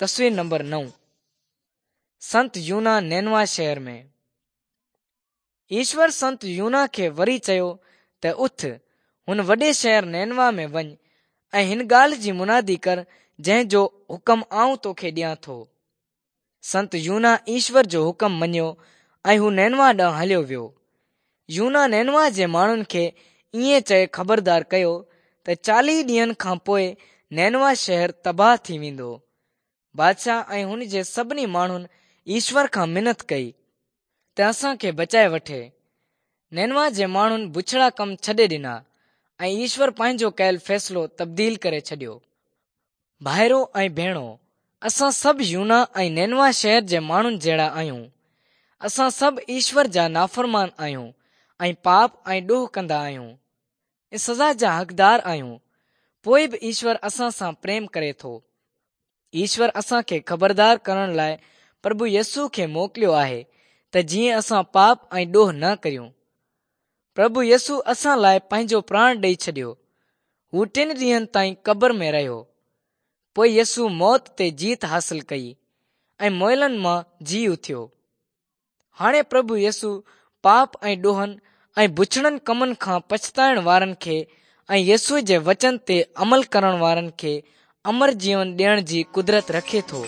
تصوير نمبر 9 سنت يونا نينوا شهر ۾. ايشور سنت يونا کي وري چيو ته اٿ، هن وڏي شهر نينوا ۾ وڃ ۽ هن ڳالهه جي منادي ڪر جنهن جو حڪم آئون توکي ڏيان ٿو. سنت يونا ايشور جو حڪم مڃيو ۽ هو نينوا ڏانهن هليو ويو. يونا نينوا جي ماڻهن کي ائين چئي خبردار ڪيو ته 40 ڏينهن کان پوء نينوا شهر تباهه ٿي ويندو. بادشاهه ۽ هن جي سڀني ماڻهن ايشور کان منت ڪئي ته اسان کي بچائي وٺي. نينوا جي ماڻهن بڇڙا ڪم ڇڏي ڏنا ۽ ايشور پنهنجو ڪيل فيصلو تبديل ڪري ڇڏيو. ڀائرو ۽ ڀيڻو، اسان سڀ يونا ۽ نينوا شهر جي ماڻهن جهڙا آهيون. اسان سڀ ايشور جا نافرمان آهيون ۽ پاپ ۽ ڏوهه ڪندا آهيون ۽ سزا جا حقدار آهيون. پوء به ايشور اسان سان پريم ڪري ٿو. ايشور اسان کي خبردار ڪرڻ لاء پرڀو يسوع کي موڪليو آهي ته جيئن اسان پاپ ۽ ڏوهه نه ڪريون. پرڀو يسوع اسان لاء پنهنجو پراڻ ڏئي ڇڏيو. هو ٽن ڏينهن تائين قبر ۾ رهيو. پوء يسوع موت تي جيت حاصل ڪئي ۽ مئلن مان جي اٿيو. هاڻي پرڀو يسوع پاپ ۽ ڏوهن ۽ بڇڙن ڪمن کان پڇتائڻ وارن کي ۽ يسوع جي وچن تي عمل ڪرڻ وارن کي امر جيون ڏيڻ جي قدرت رکي ٿو.